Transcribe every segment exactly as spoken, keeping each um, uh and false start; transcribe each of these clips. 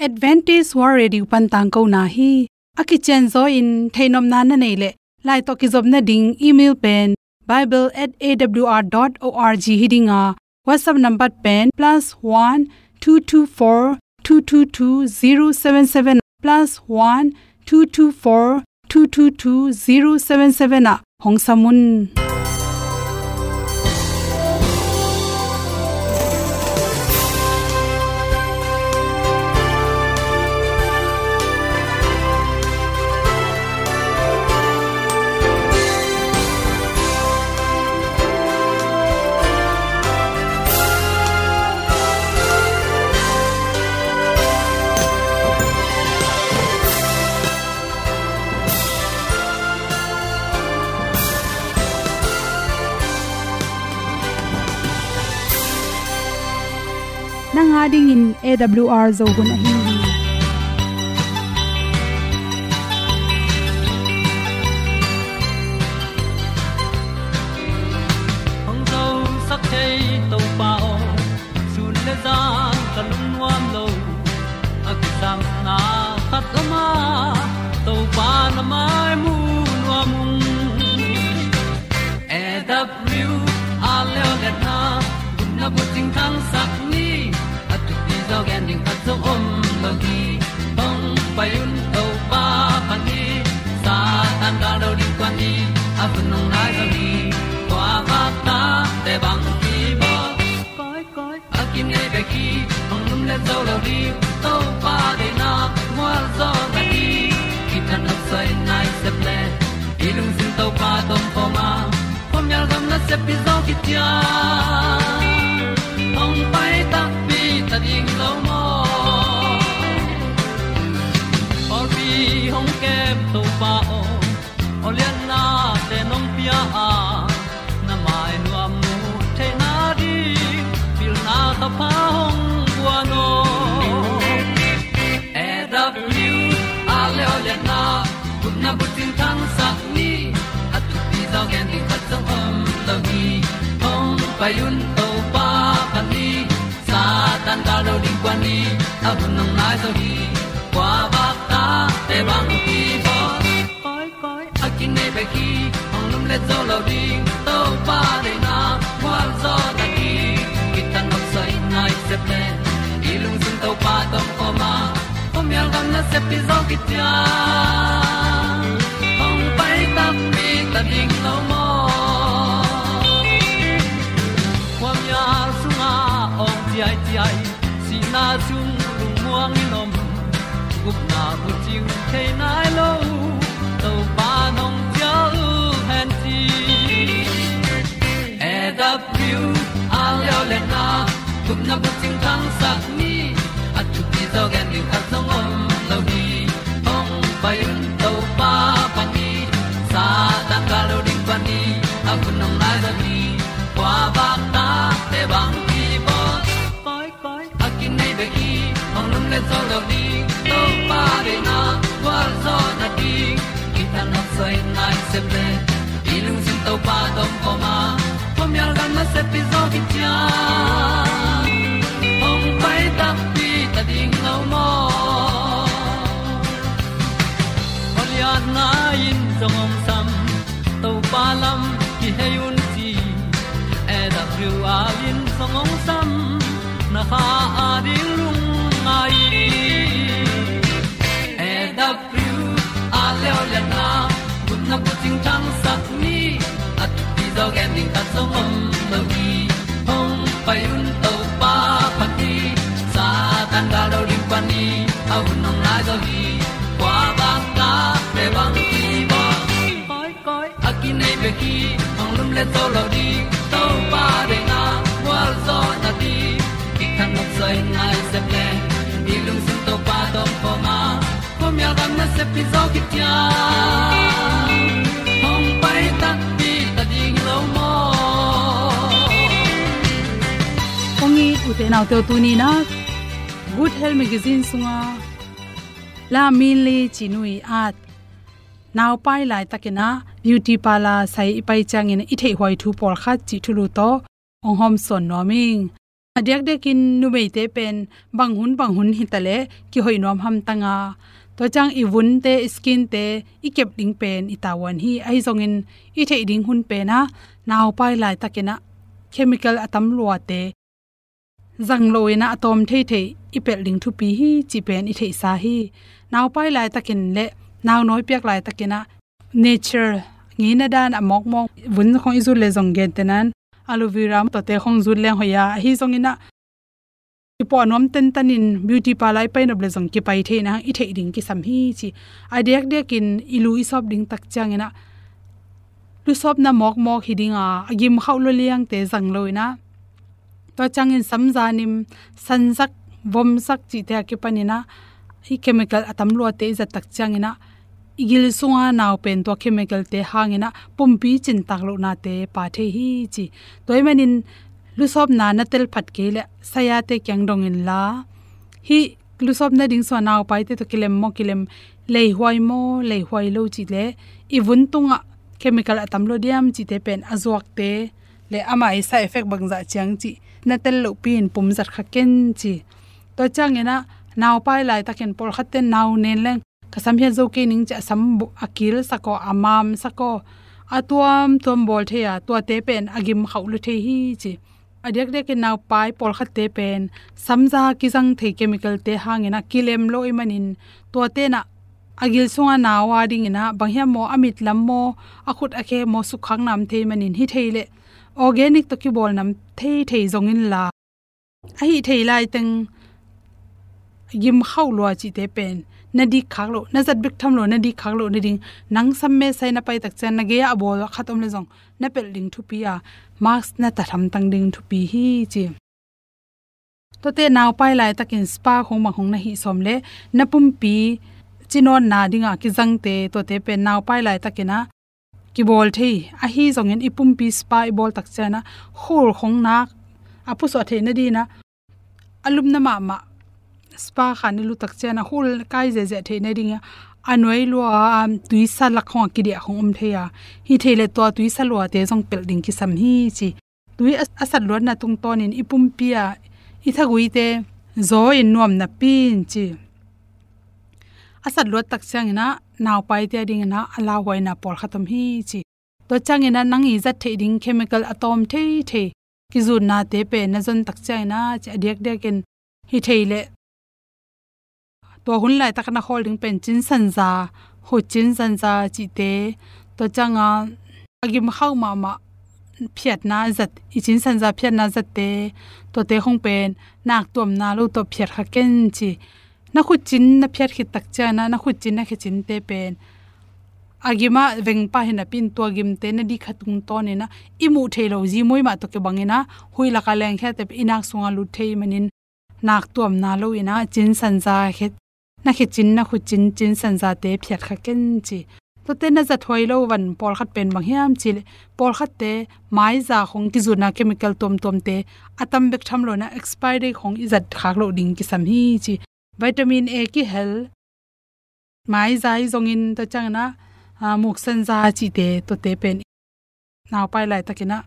Adventist World Radio pan tangkona hi. A kicianzaw in theihnopna na neih leh, lai tawh kizopna ding email pen bible at A W R dot org hi ding a, WhatsApp number pen plus one two two four two two two zero seven seven, plus one two two four two two two zero seven seven ah hong sam un. Nang a dingin A W R Zo hun ahi hi. Hong zosak thei Topa aw, sun le zan ka lungnuam lo. A kisapna khat om a, Topa na mai mu nuam ung. A W R leo liatna, gupna bucing thangsak ni. A thupi zaw gen ding khat zong om lo hi. Hong pai un Topa phat ni. Satan gal lo ding kuan ni. A hun hong nai zaw hi. Kua vakta te bang hi bawl. Koi, koi, a kinei bek hi, hong lumlet zo lo ding. Topa deihna mual zaw na hi. Kithat nopsai nai sep le, i lungsim Topa tawh om khawm a, khuamial gam nasep hi zaw kician. Hong pai takpi ta ding lo maw? Pawlpi hong kem Topa aw, aw lianna te nong pia a, na mai nuam mu theihna ding, pilna thapha hong guan aw. A W R leo liatna, gupna bucing thangsak ni. A thupi zaw gen ding khat zong om lo hi. Hong pai un Topa phat ni. Satan gal lo ding kuan ni. A hun hong nai zaw hi. Kua vakta te bang hi bawl. Koi, koi, a kinei bek hi, hong lumlet zo lo ding. Topa deihna mual zaw na hi. Kithat nopsai nai sep le, i lungsim Topa tawh om khawm a, khuamial gam nasep hi zaw kician. Hong pai takpi ta ding lo maw? Khuamial sungah awng ciaiciai, sihna sung lungmuang in om. Gupna bucing thei nai lo, Topa nong cial hen ci. A W R leo liatna, gupna bucing thangsak ni. A thupi zaw gen ding khat zong om lo hi. Hong pai un Topa phat ni. Satan gal lo ding kuan ni. A hun hong nai zaw hi. Kua vakta te bang hi bawl. Koi, koi, a kinei bek hi, hong lumlet zo lo ding. Topa deihna gualzawhna ding, kithat nopsai nai sep le, i lungsim Topa tawh om khawm a, khuamial gam nasep hi zaw kician. Hong pai takpi ta ding lo maw? Khualiatna in zong hong sam, Topa lam kihei un ci. A W R in zong hong sam, na kha a ding lungngai. A W R leo liatna, gupna bucing thangsak ni. A thupi zaw gen ding khat zong om lo hi. Hong pai un Topa phat ni. Satan gal lo ding pah ni. A hun hong nai zaw hi. Kua bang ta te bang hi bawl. Koi, koi, a kinei bek hi, hong lumlet zo lo ding. Topa deihna gualzawhna ding, kithat nopsai nai sep le, i lungsim Topa tawh om khawm a, khuamial gam nasep hi zaw kician. Hong pai takpi ta ding lo maw? Kong it u te nau te uh, tuni in ah Good Health Magazine sungah La Min Li ci nu i at Naupai laitakin ah beauty parlour sai i pai ciangin i theihhuai thu pawlkhat cih thulu tawh hong hawmsawn nuam ing. A diakdiakin numeite pen bang hun bang hun hitaleh kihoih nuam hamtang a, tua ciang i vunte, i skinte i kep ding pen i tavuan hi. Ahi zongin i theih ding hun pen ah naupai laitakin ah chemical a tam luate zang lo in ah a tawm theithei i pelh ding thupi hi cih pen i theihsa hi. Naupai laitakin le naunawi piak laitakin ah nature ngeina dan a mawkmawk vun khong i zut le zong gentehna in aloe vera tuate khong zut leng hoih a, ahi zongin ah i puah nuam tentan in beauty parlour i pai nop le zong kipai thei in ah i theih ding kisam hi ci. A diakdiakin i lu i sawp ding tak ciangin ah lusawpna mawkmawk hi ding a, a gim khauh lua liangte zang lo in ah, tua ciangin samza nim, sanzak, vomzak cihte a kipan in ah i chemical a tam luate i zat tak ciangin ah i gil sunga nau pen tua chemicalte hangin ah pumpi cintak lohnate pha thei hi ci. Tua ahih manin lusawpna na tel phat kei leh sayate kiang dong inla, hih lusawpna ding sungah naupaite tawh kilem maw, kilem, leihuai maw, leihuai lo cih leh i vun tungah chemical a tam lua diam cihte pen a zuakte le amah i side effect bangzah ciang cih na tel lohpi in pum zat kha ken ci. Tua ciangin ah naupai laitakin pawlkhatte nau nen leng ka sam hiat zo kei ning ci a sam bu-, a kilsak aw, a mamsak aw, a tuamtuam bawl thei a, tuate pen a gim khauh lua thei hi ci. A diakdiakin naupai pawlkhatte pen samza kizang thei chemicalte hangin ah kilem lo ahih manin tuate in ah a gil sunga nau a dingin ah bang hiam maw, a mit lam maw, a khut a khe maw sukkhak nam thei manin hi thei leh organic tawh kibawl nam theithei zong inla, ahi thei laiteng gim khauh lua cihte pen na dik khak loh, na zat bek tham lo, na dik khak loh nading, nang sam mesai na pai tak ciang na gei ah a bawl khat om le zong na pelh ding thupi a, mask na tat hamtang ding thupi hi ci. Tuate naupai laitakin spa khong bang khong na hih sawm leh na pumpi cinawtna dingah kizangte tuate pen naupai laitakin ah kibawl thei. Ahi zongin i pumpi spa i bawl tak ciang ah khul khong nak a pusuah theih nading ah a lupna mahmah spa khan i lut tak ciang ah khul kai ziahziah theih nading ah a nuai lua, a tuisa lak khong a kidiah khong om thei a, hi thei leh tua tuisa luate zong pelh ding kisam hi ci. Tui a, a sat luatna tungtawnin i pumpi a i thaguite zaw in nuam napi in ci. A sat luat tak ciangin ah naupaite a dingin ah a lauhuaina pawlkhat om hi ci. Tua ciangin ah nang i zat theih ding chemical a tawm theithei kizutnate pen na zon tak ciangin ah ci a diakdiakin hi thei leh tua hun laitak na khawl ding pen cinsanza, khut cinsanza cihte, tua ciang a a gim khauh mahmah phiatna zat, i cinsanza phiatna zatte, tuate khong pen nak tuamna lo tawh phiat kha ken ci. Na khut cin na phiat khit tak ciang ah na khut cin na khe cinte pen a gim ah veng pah hi napi in tua gimte na dik kha tungtawnin ah i muh theih loh zimuai mah tawh kibangin ah huih lak a lengkhiate pen i nak sungah lut thei manin nak tuamna lo in ah cinsanza khe, na khe cin na khut cin cinsanzate phiat kha ken ci. Tuate na zat huai lo van pawlkhat pen bang hiam cih leh pawlkhatte maiza khong kizutna chemical tuamtuamte a tam bek tham lo in ah expiry date khong i zat khak loh ding kisam hi ci. Vitamin A kihel maiza hi zongin tua ciangin ah, a, muksanza cihte tuate pen naupai laitakin ah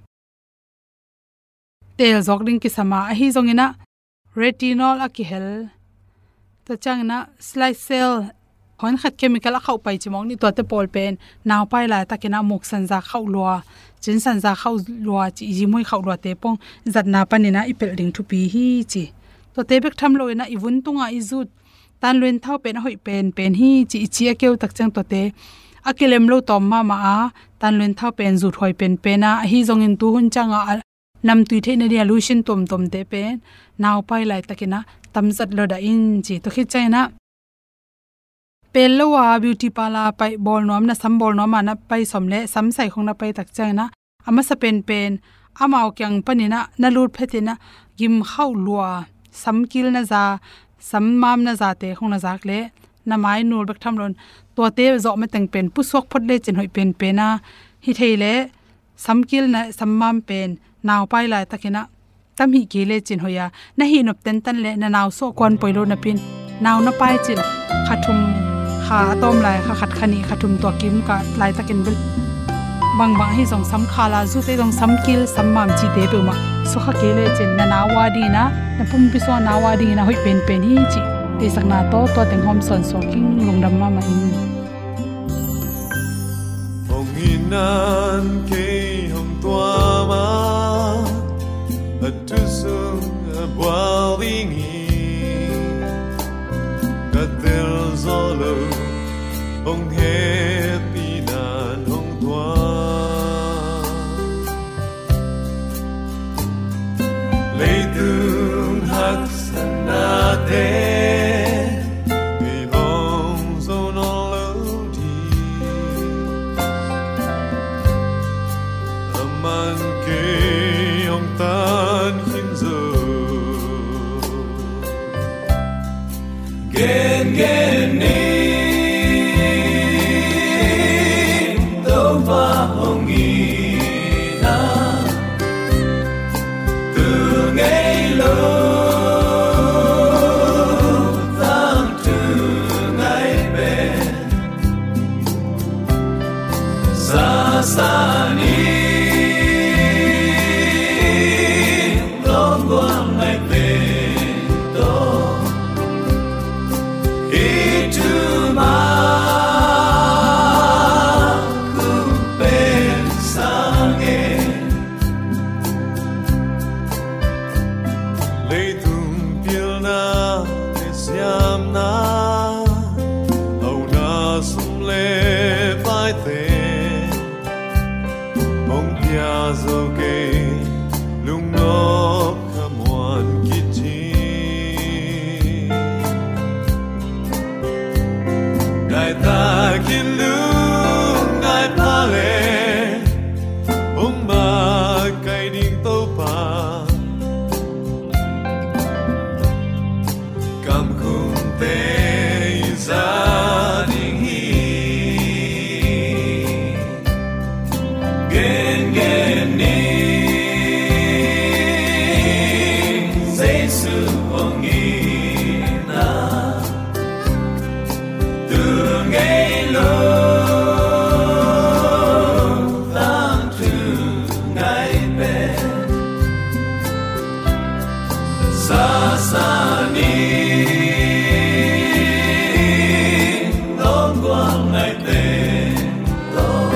teel zawk ding kisam a, ahi zongin ah retinol a kihel, tua ciangin ah salicylic acid, hawnkhat chemical a khauh pai ci mawk ni, tuate pawl pen naupai laitakin ah muksanza khauh lua, cinsanza khauh lua ci, zimuai khauh luate pong zatna panin ah i pelh ding thupi hi ci. Tuate bek tham lo in ah i vun tungah i zut tanluin thau pen a hoih penpen hi ci, i ci a keu tak ciang tuate a kilem lo tawm mahmah a, tanluin thau pen zut huai penpen a, ahi zongin tu hun ciang a, a namtui theih nading a lotion tuamtuamte pen naupai laitakin ah tamzat lo dah in ci. Tua khit ciangin ah pel lo a beauty parlour pai bawl nuam, na sam bawl nuam a na pai sawm leh sam sai khong na pai tak ciangin ah a masa penpen amau kiang panin ah na lut phetin ah gim khauh lua, samkil na za, sammam na zate khong na zak leh na mai nul bek tham lo in tuate zawh mateng pen pusuak phot lecin hoih penpen a, hi thei leh samkil na sammam pen naupai laitakin ah tam hih kei lecin hoih a, na hih nop tentan leh na nau suah kuan poi lo napi in nau na pai cin kha thum, kha a tawm lai kha khat kha nih kha thum tua kim ka laitakin bel bangbang ahi zong sam khala zute zong samkil sammam cihte peuhmah Sukha kei lecin na nau a dingin ah, na pumpi sung a nau a dingin ah hoih penpen hi cih theihsakna tawh tua teng hawm sawnsawn ing. Lungdam mahmah ing. Hong itna in kei hong tuam a, a thu sung a bual ding hi. Ka tel zo lo, hong hehpihna in hong tuam. Leitung haksatnate, kei hong zo nawn lo ding. Aman kei hong tan khin zo. Gengen ni, Topa hong itna, tu ngei lo, tangthu ngai pen. Sasa ni, lawm gual ngai pen tawh, hih thu mah hong pen sa ing. Leitung pilna le siamna, hauna sum le paite, hong pia zo kei, lungnop khamuan khit hi. Ngai takin lungngai pha le, hong makaih ding Topa, kamkhumte i za ding hi. Gengen ni, Jesu hong itna, tu ngei lo, tangthu ngai pen. Sasa ni, lawm gual ngai pen tawh,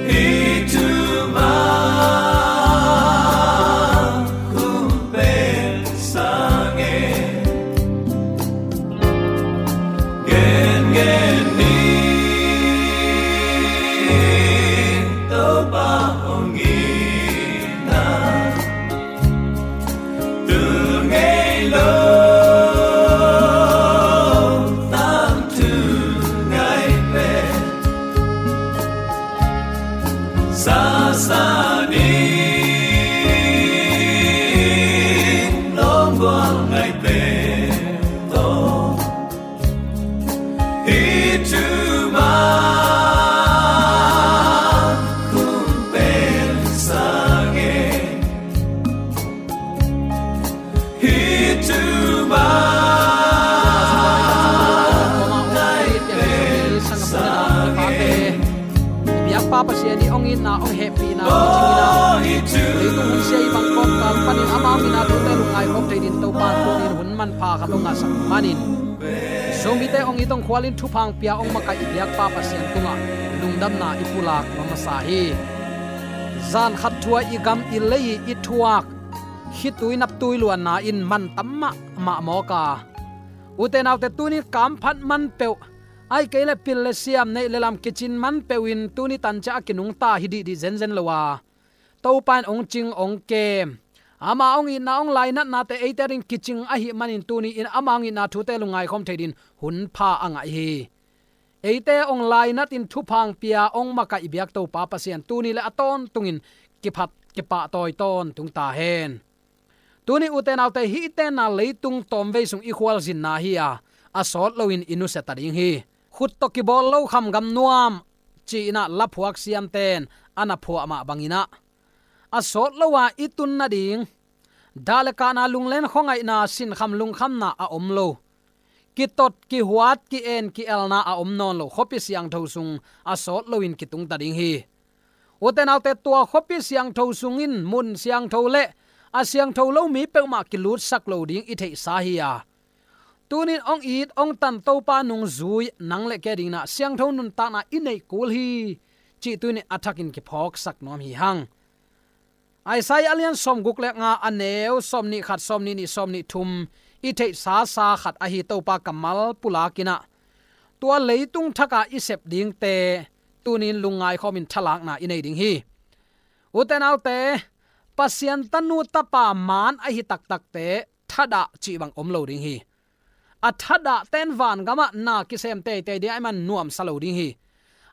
hih thu mah hong pen sa ing. Gengen ni, Topa hong itna, tu ngei lo, tangthu ngai pen. Sasa ni, lawm gual ngai pen tawh, hih thu mah hong pen sa ing. Hih thu mah hong pen sa ing. Biakpa Pasian i hong itna, hong hehpihna, hong cingna, leitung hun sia i bang kawmkal panin ama hong itna thute lungngai khawm thei dingin Topa in tuni in hun manpha khat hong ngahsak manin, Zomite hong it hong khualin thupha hong pia hong makaih i biakpa Pasian tungah lungdamna i pulak masa hi. Zan khat thu-a i gam i lei i thuak khitui naptui luanna in man tam mahmah mawk a, ute naute, tuni in kamphat man peuh, ahih kei leh pil le siam, neih le lam kicin man peuh in tuni tancia a kinungta hi dihdih zenzen lo a, Topa in hong cing hong kem, ama hong itna hong lainatnate eite adingin kicing ahih manin tuni in ama hong itna thute lungngai khawm thei dingin hun pha a ngah hi. Eite hong lainatin thupha hong pia hong makaih biak Topa Pasian tuni le a tawntungin kiphat kipahtawi tawntung ta hen. Tuni ute naute, hih i tenna leitung tawmvei sung i khualzinna hi a, a sawt loin i nusia ta ding hi. Khut tawh kibawl lo kham gam nuam ci-in ah laphuak siamten a na phuah mah bangin ah, a sawt lo a i tun nading dah le kahna, lunglen khuangaihna, sinkham lungkhamna a om lo, kitot kihuat ki-en ki-elna a om nawn lo khuapi siangtho sung a sawt loin kitung ta ding hi. Ute naute, tua khuapi siangtho sungin mun siangtho le a siangtho lo mi peuhmah kilutsak lo ding i theihsa hi a, tunin hong it hong tan Topa nungzui nang le kei dingin ah siangtho nuntakna i neih kul hi, cih tunin a thakin kiphawksak nuam hi hang. Isaiah a lian sawmguk le nga, a neu sawmnih khat, sawmnih nih, sawmnih thum i theihsa sa khat ahi Topa kammal pulakin ah tua leitung thakah i sep dingte tunin lungngaikhawmin thalakna i nei ding hi. Ute naute, Pasian tanu tapa maan ahi taktakte thadah cih bang om lo ding hi. A thadahte in vangamah na kisem teitei ding ahih man nuamsa lo ding hi.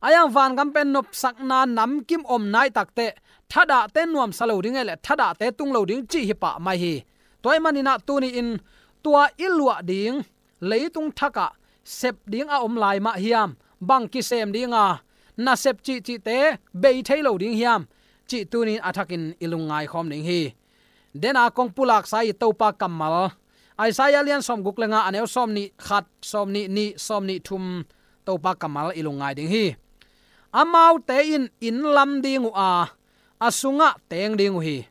Ahi hang vangam pen nopsakna namkim om nai takteh thadahte in nuamsa lo ding hi leh thadahte tung lo ding cih hi pah mai hi. Tua ahih manin ah tuni-in tua i luah ding leitung thakah sep ding a om lai mah hiam, bang kisem ding a, nasep cihcihte bei thei lo ding hiam, cih tunin a thakin i lungngaikhawm ding hi. Dena kong pulaksa i Topa kammal, Isaiah lian sawmguk le nga, a neu sawmnih khat, sawmnih nih, sawmnih thum, Topa kammal i lungngai ding hi. Amaute in inn lam ding uh a, a sungah teng ding uh hi.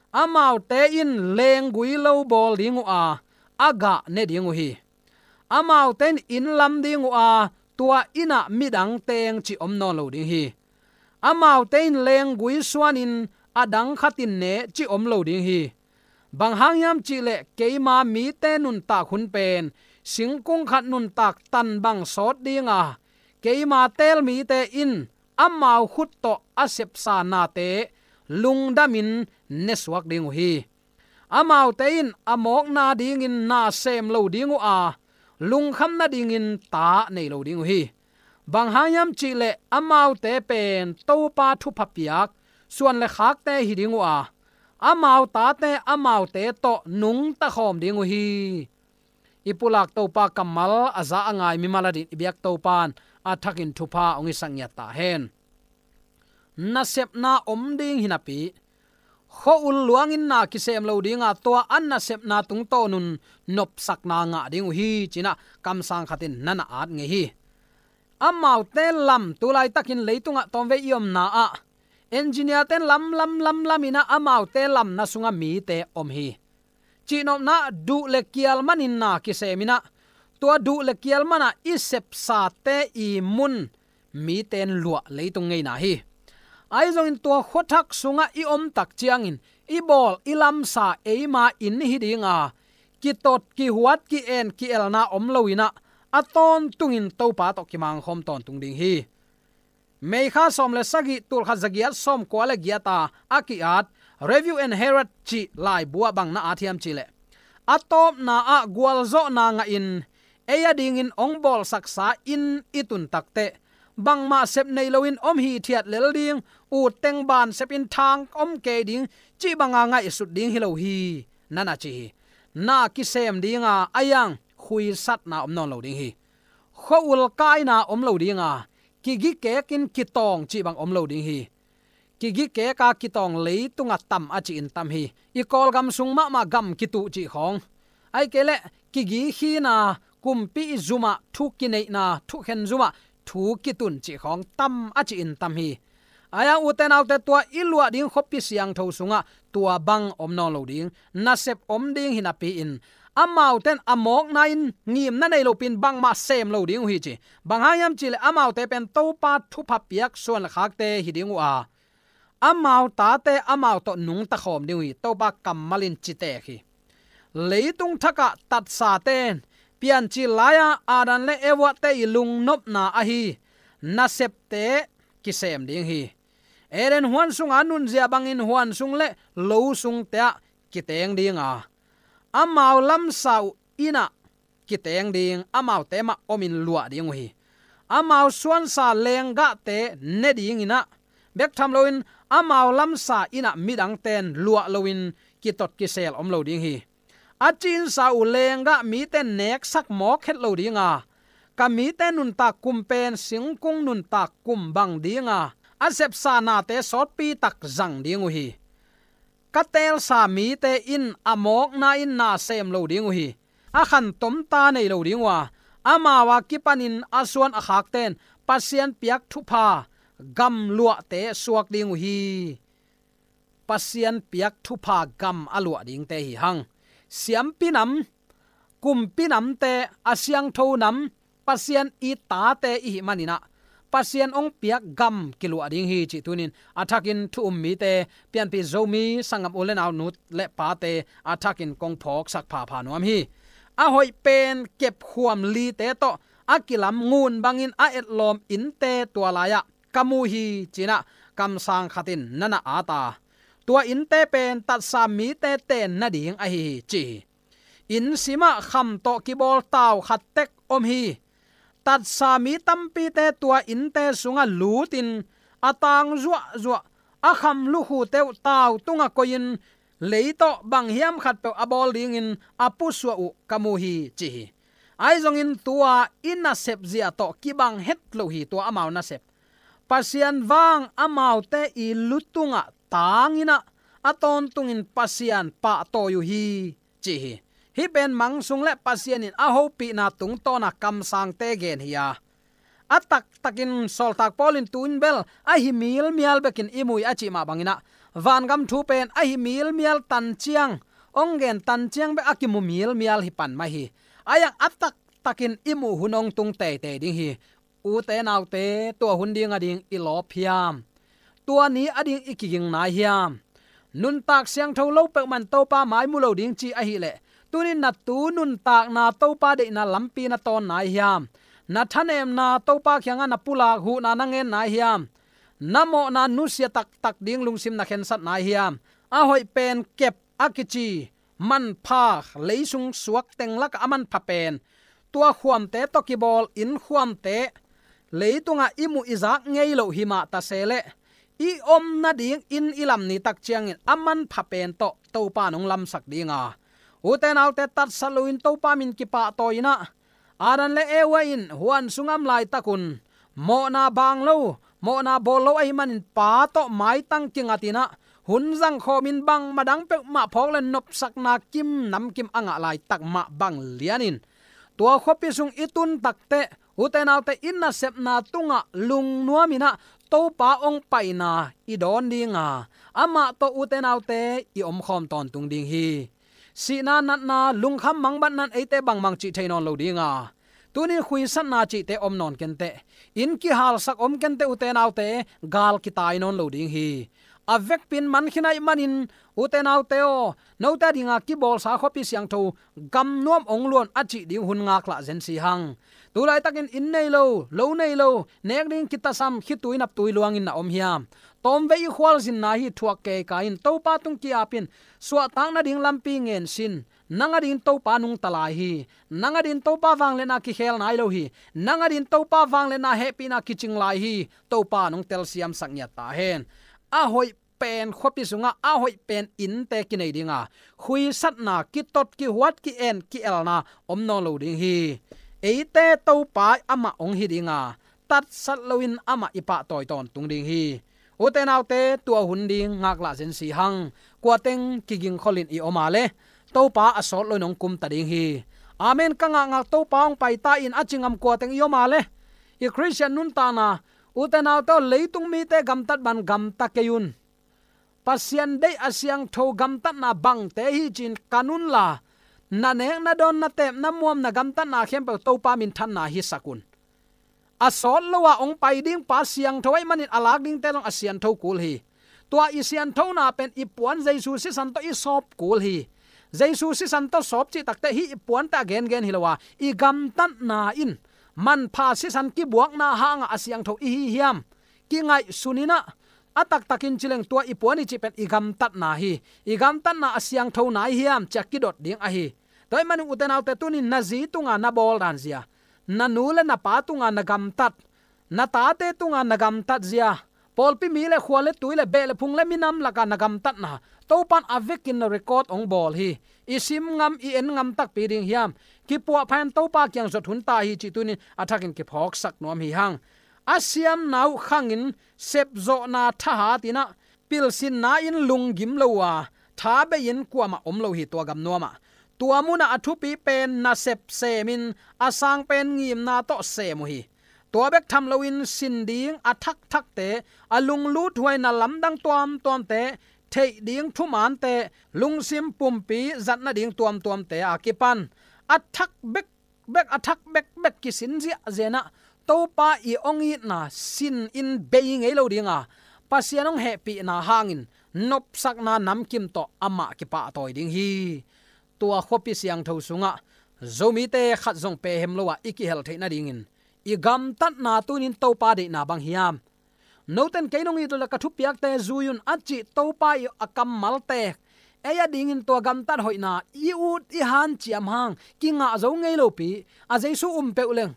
Amaute in lenggui lo bawl ding uh a, a gah ne ding uh hi. Amaute in inn lam ding uh a, tua innah midang teng cih om nawn lo ding hi. Amaute in lenggui suanin a dang khatin ne cih om lo ding hi. Bang hang hiam cihleh keima mite nuntak hun pen singkung khat nuntak tan bang sawt ding a, keima teel mite in amau khut tawh a sepsa nate lungdamin nesuak ding uh hi. Amaute in a mawkna dingin na sem lo ding uh a, lungkham nadingin ta nei lo ding uh hi. Bang hang hiam cihleh amaute pen Topa thupha piak suan le khakte hi ding uh a, amau tate amaute tawh nungta khawm ding uh hi. I pulak Topa kammal a za a ngai mimal adin i biak Topa in a thakin thupha hong hisak ngiat ta hen. Nasepna om ding hi napi, khua-ul luangin na kisem lo ding a, tua a nasepna tungtawn un nopsakna ngah ding uh hi, ci-in ah kamsang khatin na na at ngei hi. Amaute lam, tu laitakin leitungah tawmvei i omna ah engineer-te in lam, lam, lam, lam in ah amaute lamna sungah mite om hi. Cihnopna ah duh le kial manin na kisem in ah, tua duh le kial man ah i sepsate i mun mite in luah leitung ngeina hi. Ahi zongin tua khuathak sungah i om tak ciangin i bawl i lamsa eima inn hi ding a, kitot, kihuat, ki-en, ki-elna om lo in ah, a tawntungin Topa tawh kimangkhawm tawntung ding hi. May kha sawm le sagih, tul khat za giat sawmkua le giat a a ki-at Review and Herald cih laibu ah bang na at hiam cihleh, a tawpna ah gualzawhna ngahin ei adingin hong bawlsaksa inn i tun takteh bangmah sep nei loin om hithiat lel ding, utteng ban sepin thang om kei ding cih banga ngaihsut ding hi lo hi, na na ci hi. Na kisem ding a, ahi hang khuisatna om nawn lo ding hi. Khua-ul kaina om lo ding a, kigi kekin kitawng cih bang om lo ding hi. Kigi keka kitawng leitunga tam a ci-in tam hi. I Kawlgam sung mahmah gam kituh cih khawng, ahih kei leh kigi khina, kumpi i zumah thu kineihna, thukhen zumah thu kitun cih khawng tam a ci-in tam hi. Ahi hang ute naute, tua i luah ding khuapi siangtho sungah tua bang om nawn lo ding, nasep om ding hi napi-in, amaute in a mawkna in ngimna nei lopi-in bangmah sem lo ding uh hi ci. Bang hang hiam cihleh amaute pen Topa thupha piak suan le khakte hi ding uh a, amau tate amau tawh nungta khawm ding uh hi, Topa kammal in ci tek hi. Leitung thakah tatsate in piancil lai-a Adam le Evate i lungnopna ahi nasepte kisem ding hi. Eden huan sunga nunzia bangin huan sung le lo sungte ah kiteng ding a, amau lamsa uh inn ah kiteng ding, amaute mah omin luah ding uh hi. Amau suansa lenggahte ne dingin ah, bek tham loin amau lamsa inn ah midangte in luah loin kitot kisel om lo ding hi. A cinsa uh lenggah mite in neksak mawk het lo ding a, ka mite nuntak kum pen singkung nuntak kum bang ding a, a sepsa nate sawtpi tak zang ding uh hi. Ka teelsa mite in a mawkna in na sem lo ding uh hi. A khantom ta nei lo ding uh a, amau a kipanin a suan a khakte in Pasian piak thupha gam luahte suak ding uh hi. Pasian piak thupha gam a luah dingte hi hang. Siampi nam, kumpi namte, a siangtho nam, Pasian i tate i hih maninah Pasian hong piak gam kiluah ding hi cih tunin a thakin thu um mite, pianpih Zomi sanggam u le nau, nu le pate a thakin kong phawksak phapha nuam hi. A hoih pen kepkhuam lite tawh a kilam ngun bangin a etlawm innte tua lai-ah ka mu hi cinah kamsang khatin na na at a, tua innte pen tatsa mite ten nading ahi hi ci hi. Inn simah kham tawh kibawl tau khat tek om hi. Tatsa mi tampite tua innte sungah lutin a tang zuahzuah, a kham lukhute uh tau tungah koihin lei tawh bang hiam khatpeuh a bawl dingin a pusuah uh ka mu hi ci hi. Ahi zongin tua i nasep zia tawh kibang het lo hi tua amau nasep. Pasian vang amaute i lu tungah tanginah a tawntungin Pasian pahtawi uh hi ci hi. Hih pen mang sung le Pasian in a hopihna tungtawna kamsangte gen hi a, a taktakin sawltak Paul in tu-in bel a hi milmial bekin i mu hi a cih mah banginah vangam thu pen a hi milmial tanciang, hong gen tanciang bek a kimu milmial hi pan mah hi. A iang a taktakin i muh hun hong tung teitei ding hi. Ute naute, tua hun ding ading i lawp hiam? Tua ni ading i kiging nai hiam? Nuntak siangtho lo peuhmah in Topa mai mu lo ding ci ahileh, tunin na tu nuntakna Topa deihna lampi na tawn nai hiam? Na thanemna Topa kiangah na pulak huhna na ngen nai hiam? Na mawhna nusia taktak ding lungsim na khensat nai hiam? A hoih pen kep a kici manpha, leisung suak teng lakah a manpha pen tua khuamte tawh kibawl innkhuamte, leitungah i muh i zak ngei loh hi mah ta se leh, i om nading inn i lam ni tak ciangin a manpha pen tawh Topa in hong lamsak ding a, ute naute, tatsat loin Topa min kipahtawi inah, Adam le Eva in huan sungah om laitakun mawhna baang lo, mawhna bawl lo ahih manin Pa tawh maitang kingatinah hun zangkhawmin bangmah dang peuhmah phawk le nopsakna kim namkim a ngah laitak mah bang lianin tua khuapi sung i tun takteh, ute naute, i nasepna tungah lungnuaminah Topa hong paina i dawn dinga, amah tawh, ute naute, i omkhawm tawntung ding hi. Sihna, natna, lungkham mangbatna in eite bangmah cih thei nawn lo dinga, tunin khuisatna cihte om nawn kenteh, inn kihalsak om kenteh, ute naute, gal kitai nawn lo ding hi. A vekpi in man khin ahih manin, ute naute aw, note a dinga kibawlsa khuapi siangtho gamnuam hong luan a cih ding hun ngaklah zen si hang. Tulaitakin inn nei lo, lo nei lo, nek ding kitasam, khitui naptui luangin na om hiam? Tawmvei i khualzinna hi, thuak keika in, Topa tung ki-apin, suahtak nading lampi ngen sin. Nang adingin Topa nungta lai hi. Nang adingin Topa vangliatna kikhel nai lo hi. Nang adingin Topa vangliatna hehpihna kicing lai hi. Topa nong telsiamsak ngiat ta hen. A hoih pen khuapi sungah a hoih pen innte kinei dinga, khuisatna, kitot, kihuat, ki-en, ki-elna om nawn lo ding hi. Eite Topa amah hong hi dinga, tatsat loin amah i pahtawi tawntung ding hi. Ute naute, tua hun ding ngaklah zen si hang. Kuateng kigingkholin i om a le, Topa a sawt loin hong kumta ding hi. Amen. Ka ngakngak Topa hong paita in a ci ngam kuateng i om a le, i Khristian nuntakna, ute naute aw, leitung mite gamtat bang gamta kei un. Pasian deih a siangtho gamtatna bangte hi ci-in kan unla, na nek, na dawn, na teep, na muam, na gamtatna khempeuh Topa minthanna hisak un. A sawt lo-a hong pai ding pa siangtho ahih manin a lak dingte zong a siantho kul hi. Tua i sianthona pen i puan Jesu sisan tawh i sawp kul hi. Jesu sisan tawh sawp cih takteh hih i puante a gengen hi lo-a, i gamtatna in manpha sisan kibuakna hangah a siangtho i hi hiam? Kingaihsun inah, a taktakin ci leng tua i puan i cih pen i gamtatna hi. I gamtatna a siangtho nai hiam ci-a kidot ding ahi. Tua ahih manin ute naute, tunin na zi tunga na bawl dan zia, na nu le na pa tunga na gamtat, na tate tunga na gamtat zia, pawlpi mi le khua le tui le beh le phung le minam lakah na gamtatna Topa in a vekin na record hong bawl hi. I sim ngam, i en ngam takpi ding hiam? Kipuahpha in Topa kiang zot hun ta hi cih tunin a thakin kiphawksak nuam hi hang. A siamna uh khangin sepzawhna thahat inah, pilsinna in lunggim lo-a, tha bei-in kuamah om lo hi tua gamnuamah. Tua munah a thupi pen nasep semin, a sang pen ngimna tawh sem uh hi. Tua bek tham loin sin ding a thakthakte, a lunglut huaina lamdang tuamtuamte, theih ding thumaante, lungsim pumpi zat nading tuamtuamte a kipan a thak bekbek, a thak bekbek kisin ziahziah in ah, Topa i hong itna sin in bei ngei lo ding a, Pasian hong hehpihna hangin nopsakna namkim tawh amah kipahtawi ding hi. Tua khuapi siangtho sungah Zomite khat zong pehem lo a i kihel theih nadingin i gamtatna tunin Topa deihna bang hiam? Noten kei nong it uh leh ka thupiakte zui un, a cih Topa i a kammalte, ei a dingin tua gamtat hoihna i ut i hanciam hang kingah zo ngei lopi, a Jesu um peuh leng,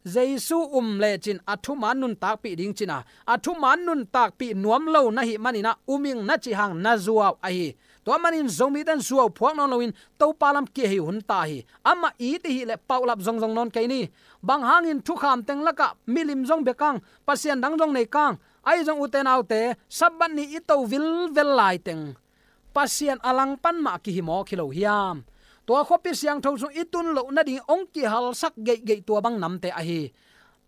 Jesu um lecin a thuman nuntakpih ding cin a, a thuman nuntakpih nuam lo na hih manin ah um ing na cih hang na zuau ahi. Tua manin Zomite in zuau phuak nawn loin Topa lam kihei hun ta hi. Amah it i hih leh paulap zongzong nawn kei ni. Bang hangin thukham teng lakah milim zong bia kang, pasian dang zong nei kang, ahi zong ute naute, Sabbath ni i to vilvel lai teng Pasian a langpan mah kihi mawk hi lo hiam? Tua khuapi siangtho sung i tun loh nading hong kihalsak geihgeih tua bang namte ahi.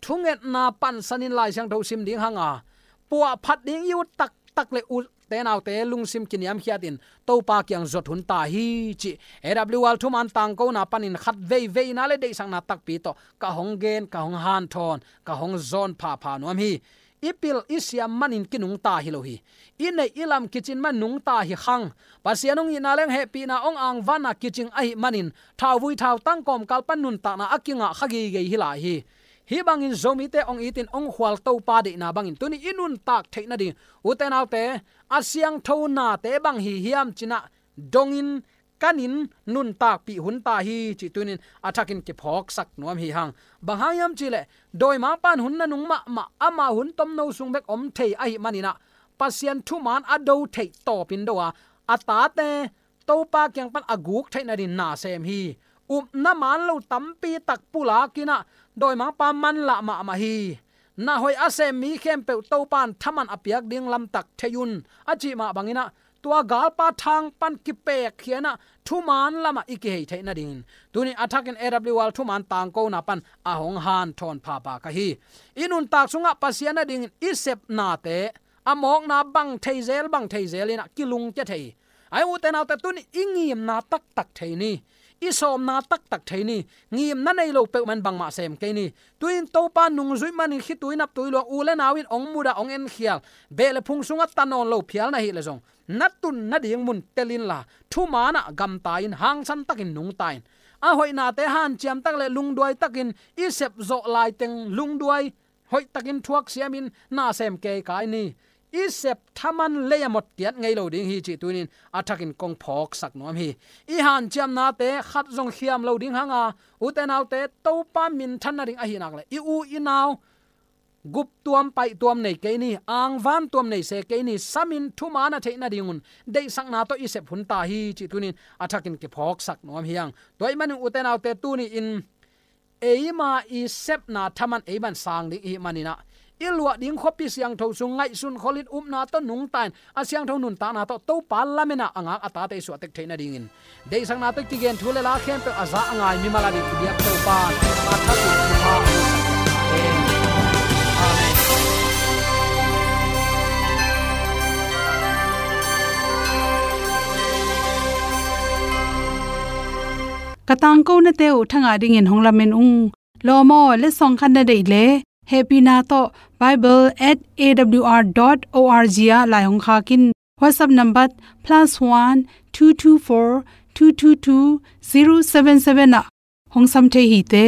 Thungetna pansanin Lai Siangtho sim ding hang a, puahphat ding i ut taktak le ute naute lungsim kiniamkhiatin Topa kiang zuat hun ta hi cih A W R thuman tangkona panin khat veiveina le deihsakna takpi tawh ka hong gen, ka hong hanthawn, ka hong zawn phapha nuam hi. I pil i siam manin kinungta hi lo hi. I neih i lam kicin man nungta hi khang. Pasian hong itna leng hehpihna hong angvanna kicing ahih manin thauvui thautang kawmkal pan nuntakna a kingah kha geigei hi lai hi. Hih bangin Zomite hong itin hong khual Topa deihna bangin tuni i nuntak theih nading ute naute, a siangtho nate bang hi hiam cin ah dongin kanin nuntakpih hun ta hi cih tunin a thakin kiphawksak nuam hi hang. Bang hang hiam cih leh dawimangpa in hun nanung mahmah, ama hun tomno sung bek om thei ahih manin ah Pasian thuman a do theih tawpin do a, a tate Topa kiang pan a guk theih nading na sem hi. Upna man lo tampi tak pulakin ah dawimangpa manlah mahmah hi. Na hoih a sem mi khempeuh Topa in thaman a piak ding lamtak thei un, a cih mah bangin ah tua galpa thang pan kipekkhia in ah thuman lamah i kihei theih nadingin tuni a thakin A W R thuman tangkona pan a hong hanthawn phapha ka hi. I nuntak sungah Pasian a dingin i sepnate a mawkna bang thei zel, bang thei zel in ah kilungkia thei hi. Ai ute naute, tuni i ngimna taktak thei ni. I sawmna taktak thei ni. Ngimna nei lo peuhmah in bangmah sem kei ni. Tuin Topa nungzuih manin khitui naptui luang u le nau in hong mudah, hong enkhial, beh le phung sungah ta nawn lo phial na hih leh zong na tun nading mun tel inla thuman ah gamta in, hangsan takin nungta in. A hoihnate hanciam tak le lungduai takin i sep zawh laiteng lungduai hoihtakin thuaksiamin na sem keikai ni. I sep thaman lei a mawk kiat ngei lo ding hi cih tunin a thakin kong phawksak nuam hi. I hanciamnate khat zong khiam lo ding hang a, ute naute, Topa minthan nading ahih nak leh i u i nau gup tuam paih tuam nei kei ni, angvan tuam nei se kei ni, samin thuman a theih nadingun deihsakna tawh i sep hun ta hi cih tunin a thakin kiphawksak nuam hi hang. Tua ahih manin ute naute, tuni in eima i sepna thaman eima in sang ding i hih manin ah, i luah ding khuapi siangtho sung ngaihsun kholin upna tawh nungta in, a siangtho nuntakna tawh Topa lamen ah a ngak a tate i suah tek theih nadingin, deihsakna tawh kigen thu le la khempeuh a za a ngai mimal a ding i biak Topa a thakin thupha. Amen. Ka tangkonate uh thangah dingin hong lamen ung. Lawm aw, letsong khat na deih leh hehpihna tawh bible at A W R dot O R G ah lai hong khak in. WhatsApp number plus one two two four two two two zero seven seven ah hong sam thei hi te.